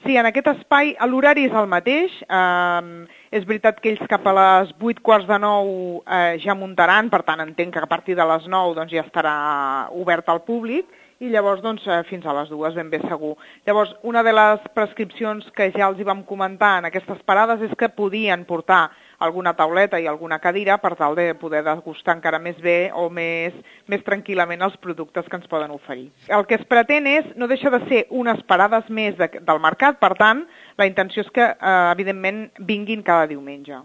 Sí, en aquest espai l'horari és el mateix. És veritat que ells cap a les 8:45 ja muntaran, per tant entenc que a partir de les 9 doncs, ja estarà obert al públic i llavors doncs, fins a les 2 ben bé segur. Llavors, una de les prescripcions que ja els hi vam comentar en aquestes parades és que podien portar alguna tauleta i alguna cadira per tal de poder degustar encara més bé o més tranquil·lament els productes que ens poden oferir. El que es pretén no deixa de ser unes parades més del mercat, per tant, la intenció és que, evidentment, vinguin cada diumenge.